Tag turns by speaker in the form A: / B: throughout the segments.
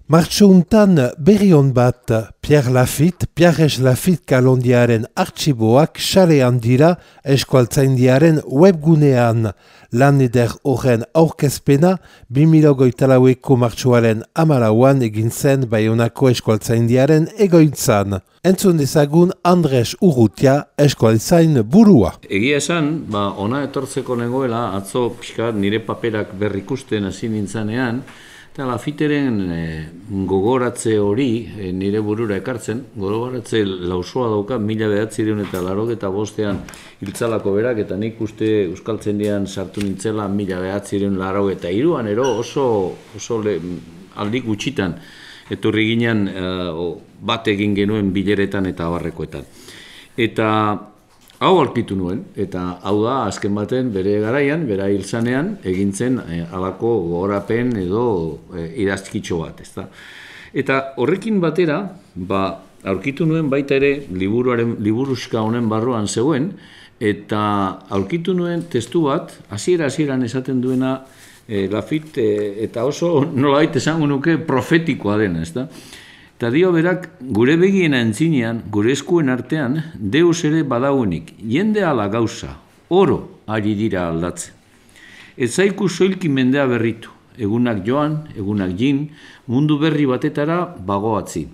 A: Martxountan berri hon bat Pierre Lafitte kalondiaren artxiboak xarean dira eskualtzaindiaren webgunean. Lan eder horren aurkezpena 2024ko martxoaren 14an egin zen Baionako eskualtzaindiaren egoitzan. Entzun dezagun Andres Urrutia eskualtzain burua.
B: Egia esan, ona etortzeko nengoela, atzo pixkat nire paperak berrikusten hasi nintzanean, eta Lafitteren gogoratze hori nire burura ekartzen, gogoratze lausoa dauka 1985 hiltzalako berak, eta nik uste Euskaltzaindian sartu nintzela 1983an, oso aldi gutxitan etorri ginen bat egin genuen bileretan eta abarrekoetan. Eta hau aurkitu nuen, eta hau da azken baten bere garaian, bera hiltzanean, egintzen halako gogorapen edo idazkitxo bat, ezta. Eta horrekin batera, aurkitu nuen baita ere liburuska honen barruan zegoen, eta aurkitu nuen testu bat, hasieran esaten duena Lafitte, eta oso nolabait esango nuke profetikoa dena, ezta. Eta dio berak, gure begien antzinean, gure eskuen artean, Deus ere badauenik, jende ala gauza, oro ari dira aldatzen. Ez zaiku soilki mendea berritu, egunak joan, egunak jin, mundu berri batetara bagoatzi.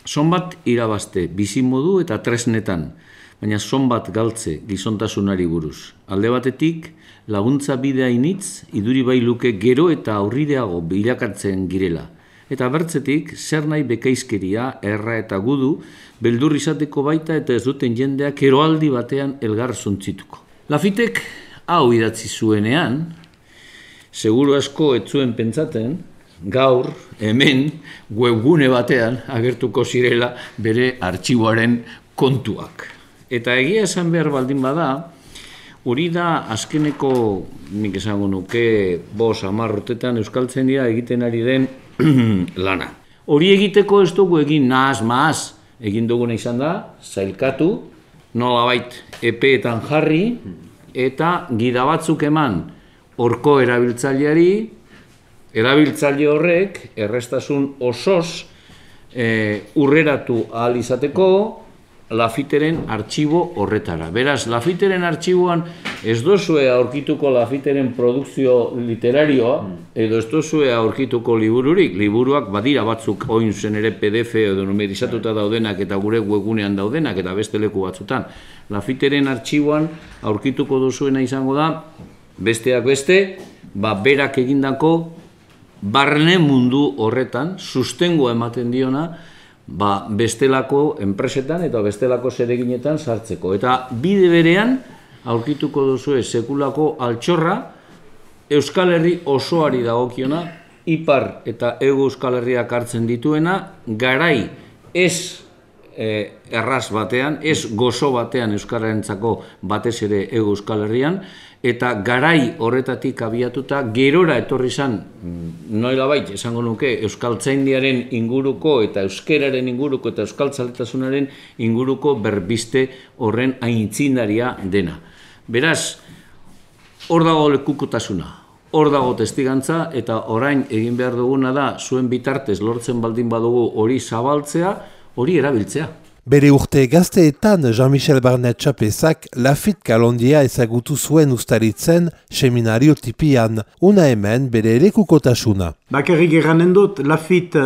B: Zonbat irabazte, bizimodu eta tresnetan, baina zonbat galtze gizontasunari buruz. Alde batetik, laguntza bidea initz, iduri bai luke gero eta aurrideago bilakatzen girela. Eta bertzetik, zer nahi bekaizkeria, erra eta gudu, beldur izateko baita eta ez duten jendeak eroaldi batean elgar zuntzituko. Lafittek hau idatzi zuenean, seguru asko ez zuen pentsaten, gaur, hemen, webgune batean agertuko zirela bere artxiboaren kontuak. Eta egia esan behar baldin bada, hori da azkeneko, nik esango nuke, 5-10 urtetan Euskaltzaindia egiten ari den lana. Hori egiteko ez dugu egin nahaz, egin duguna izan da, zailkatu, nolabait epeetan jarri, eta gida batzuk eman horko erabiltzaileari, erabiltzaile horrek errestasun osoz urreratu ahal izateko Lafitteren artxibo horretara. Beraz, Lafitteren artxiboan ez dozue aurkituko Lafitteren produkzio literarioa, edo ez dozue aurkituko libururik. Liburuak badira batzuk oin zen ere PDF edo numerizatuta daudenak eta gure webgunean daudenak eta beste leku batzutan. Lafitteren artxiboan aurkituko duzuena izango da, besteak beste, berak egindako barne mundu horretan, sustengoa ematen diona, bestelako enpresetan eta bestelako zereginetan sartzeko. Eta bide berean, aurkituko duzue sekulako altxorra, Euskal Herri osoari dagokiona, ipar eta hego Euskal Herriak hartzen dituena, garai ez erraz batean, ez gozo batean Euskararentzako batez ere hego Euskal Herrian, eta garai horretatik abiatuta gerora etorri izan, nolabait esango nuke, Euskaltzaindiaren inguruko eta euskeraren inguruko eta euskaltzaletasunaren inguruko berbiste horren aitzindaria dena. Beraz, hor dago lekukotasuna, hor dago testigantza, eta orain egin behar duguna da, zuen bitartez lortzen baldin badugu hori zabaltzea, hori erabiltzea.
A: Bere urte gazteetan Jean-Michel Barnet Txapezak Lafitte kalondia ezagutu zuen ustaritzen seminario tipian, una hemen bere lekukotasuna.
C: Bakarrik eranen dut, Lafitte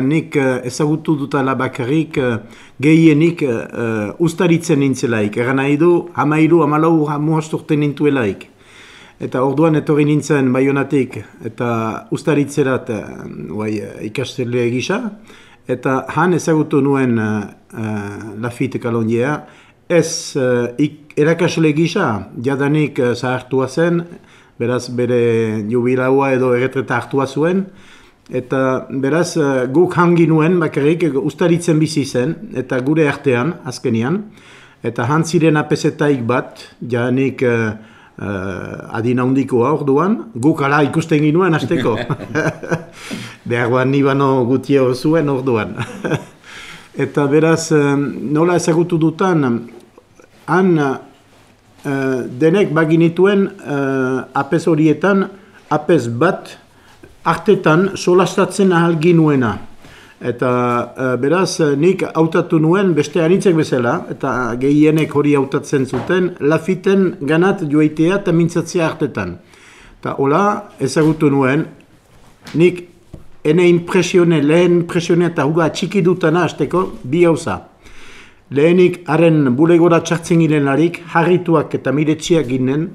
C: nik ezagutu dutala bakarrik gehienik ustaritzen nintzelaik. Eran nahi du, 13-14 urte nintuelaik. Eta orduan etorri nintzen Baionatik eta ustaritzerat ikastele gisa. Eta han ezagutu nuen Lafitte kalondia, ez erakasle gisa, jadanik zahartua zen, beraz bere jubilaua edo erretreta hartua zuen, eta beraz guk hangi nuen bakarrik ustaritzen bizi zen, eta gure artean, azkenian, eta han ziren apesetaik bat, jadanik adina handikoa orduan, guk ala ikusten ginuen hasteko. Beharroan nibano gutio zuen orduan. Eta beraz, nola ezagutu dutan, han denek baginituen apes horietan, apes bat artetan solastatzen ahal ginuena. Eta beraz, nik hautatu nuen beste anitzek bezala, eta gehienek hori hautatzen zuten, Lafitten ganat joaitea eta mintzatzea artetan. Eta hola, ezagutu nuen, nik lehen impresione eta huga txiki dutana hasteko bi gauza. Lehenik, haren bulegora txartzen girenlarik, harrituak eta miretxiak ginen,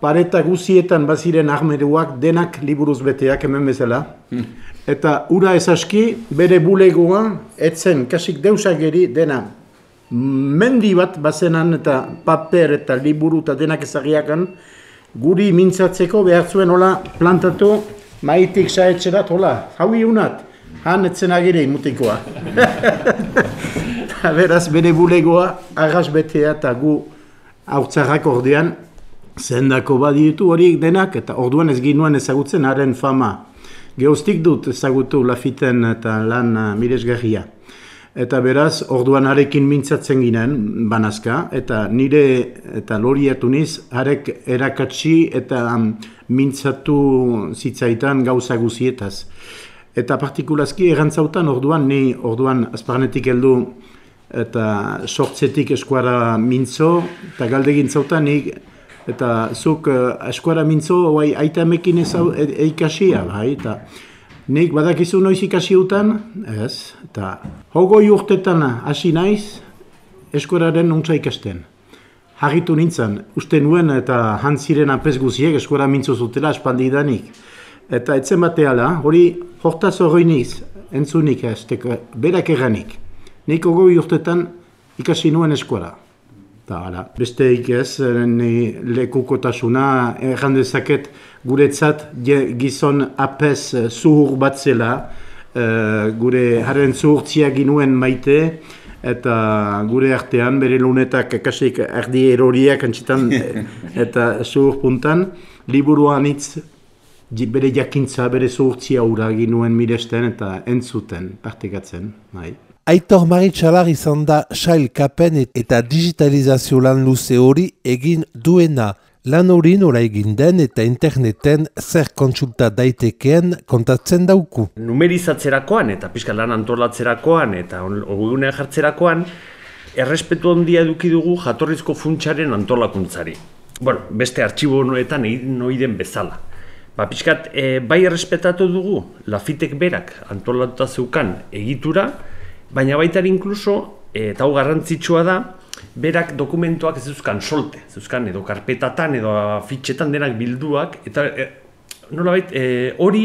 C: pareta guzietan baziren armeruak denak liburuz beteak hemen bezala. Eta ura ezaski, bere bulegoa, etzen kasik deusageri dena mendi bat bazenan eta paper eta liburu eta denak ezagiakan, guri mintzatzeko behar zuen hola plantatu, maitik saetxerat hola, haui unat, han etzen agire imutikoa. Beraz, bere bulegoa, arras betea eta gu haurtzarrak ordean, zendako baditu horiek denak, eta orduan ez ginuen ezagutzen haren fama. Geoztik dut ezagutu Lafitten eta lan miresgarria. Eta beraz, orduan harekin mintzatzen ginen, banazka, eta nire eta loriatu niz, harek erakatsi eta mintzatu zitzaitan gauza guzietaz. Eta partikulazki erantzautan orduan azparnetik heldu eta sortzetik eskuara mintzo, eta galdegin zautan eta zuk eskuara mintzo aita emekin eikasia, bai, eta nik badakizu noiz ikasi utan, ez, eta hogoi urtetan hasi naiz eskuararen nuntza ikasten. Harritu nintzen, uste nuen eta jantziren apes guziek eskuara mintzo zutela espaldidanik. Eta etzen bateala, hori hortaz hori niz, entzunik ez, berak erranik. Nik hogoi urtetan ikasi nuen eskuara. Besteik ez, lekukotasuna errandezaket guretzat gizon apes zuhur bat zela, gure haren zuhurtzia ginuen maite, eta gure artean bere lunetak kasik erdi eroriak antzitan eta zuhur puntan, liburuan hitz bere jakintza, bere zuhurtzia hura ginuen miresten eta entzuten, partekatzen.
A: Aitor Maritxalar izan da sailkapen eta digitalizazio lan luze hori egin duena. Lan hori nola egin den eta interneten zer kontsulta daitekeen kontatzen dauku.
D: Numerizatzerakoan eta pixka lan antolatzerakoan eta ogunea jartzerakoan errespetu handia eduki dugu jatorrizko funtsaren antolakuntzari. Beste artxibonoetan egin noiden bezala. Pixkat, bai errespetatu dugu Lafittek berak antolatuta zeukan egitura, baina baita inkluso, eta hau garrantzitsua da, berak dokumentuak ez zeuzkan solte, zeuzkan edo karpetatan edo fitxetan denak bilduak, eta nolabait hori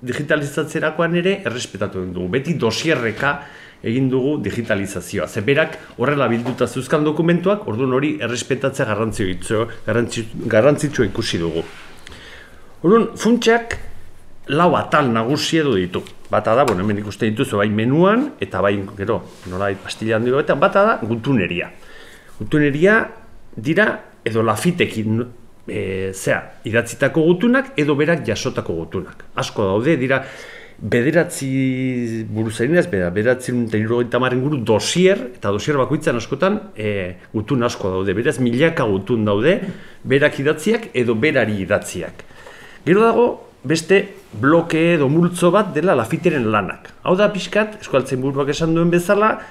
D: digitalizatzerakoan ere errespetatu dugu. Beti dosierreka egin dugu digitalizazioa. Ze berak horrela bilduta zeuzkan dokumentuak, orduan hori errespetatzea garrantzitsua ikusi dugu. Orduan, funtsak lau atal nagusi edo ditu. Bata da, hemen ikusten dituzu bai menuan, eta bai, gero, nolabait pastilla handi batean, bata da gutuneria. Gutuneria dira, edo Lafittekin idatzitako gutunak, edo berak jasotako gutunak. Asko daude, dira, bederatzi buruzarinaz, bederatzi guru dosier, eta dosier bakoitzan askotan gutun asko daude. Beraz, milaka gutun daude, berak idatziak edo berari idatziak. Gero dago, beste bloke edo multzo bat dela Lafitteren lanak. Hau da pixkat, eskualtzen buruak esan duen bezala,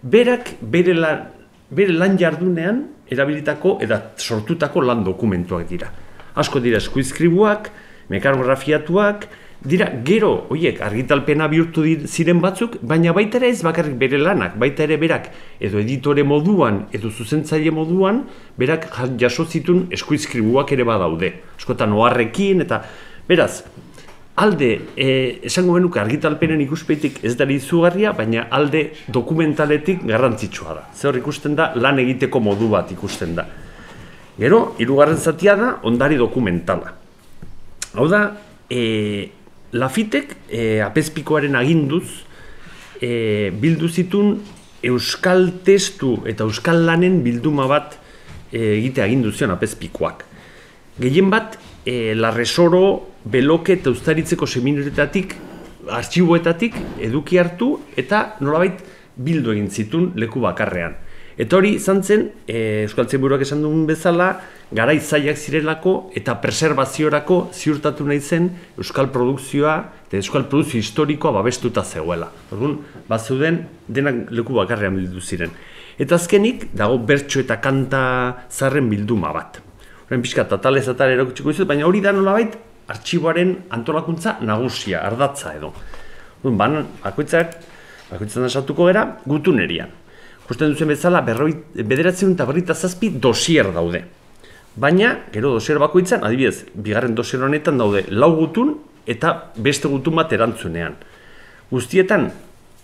D: berak bere lan jardunean erabilitako eta sortutako lan dokumentuak dira. Asko dira eskuizkribuak, mekanografiatuak, dira gero, horiek argitalpena bihurtu ziren batzuk, baina baita ere ez bakarrik bere lanak, baita ere berak edo editore moduan, edo zuzentzaile moduan, berak jaso zituen eskuizkribuak ere badaude. Askotan oharrekin eta, beraz, alde, esango benuke argitalpenen ikuspetik ez da izugarria, baina alde dokumentaletik garrantzitsua da. Zer ikusten da, lan egiteko modu bat ikusten da. Gero, hirugarren zatia da, ondari dokumentala. Hau da, Lafittek apezpikoaren aginduz bildu zituen euskal testu eta euskal lanen bilduma bat egite agindu zion apezpikoak. Gehien bat, Larresoro, Beloke eta Uztaritzeko seminarioetatik, artxiboetatik eduki hartu eta nolabait bildu egin zituen leku bakarrean. Eta hori izan zen, Euskaltzainburuak esan duen bezala, garai zailak zirelako eta preservaziorako ziurtatu nahi zen euskal produkzioa eta euskal produkzio historikoa babestuta zegoela. Orduan, bazeuden denak leku bakarrean bildu ziren. Eta azkenik, dago bertso eta kanta zarren bilduma bat. Horren pixka, tatalez atal erakutsiko dizut, baina hori da nolabait artxiboaren antolakuntza nagusia, ardatza edo. Orduan, bakoitzan esatuko gara, gutunerian. Justen duzen bezala, 957 dosier daude. Baina, gero dosier bakoitzan, adibidez, bigarren dosier honetan daude 4 gutun eta beste gutun bat erantzunean. Guztietan,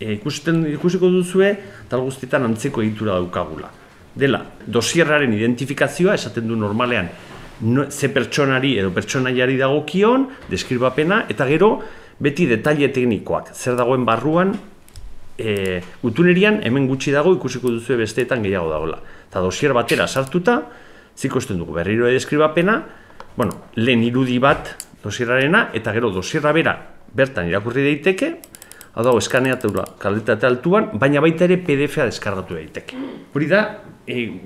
D: ikusiko duzue, tal guztietan antzeko egitura daukagula. Dela, dosierraren identifikazioa, esaten du normalean, ze pertsonari edo pertsonaiari dagokion, deskribapena, eta gero, beti detaile teknikoak, zer dagoen barruan, gutunerian hemen gutxi dago ikusiko duzue besteetan gehiago dagoela. Eta dosier batera sartuta, zikosten dugu berriro deskribapena, lehen irudi bat dosierrarena, eta gero dosierra bera bertan irakurri daiteke, hau dago eskaneatura kalitate altuan, baina baita ere PDF-a deskargatu daiteke. Hori da,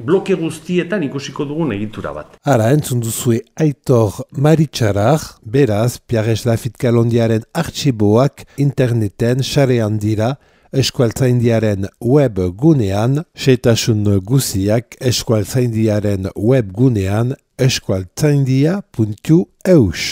D: bloke guztietan ikusiko dugun egitura bat.
A: Ara, entzun duzue Aitor Maritxarar, beraz, Piares Lafitkalondiaren artxiboak interneten sarean dira, Eskualtzaindiaren web gunean, xehetasun guziak Eskualtzaindiaren web gunean eskualtzaindia.eus.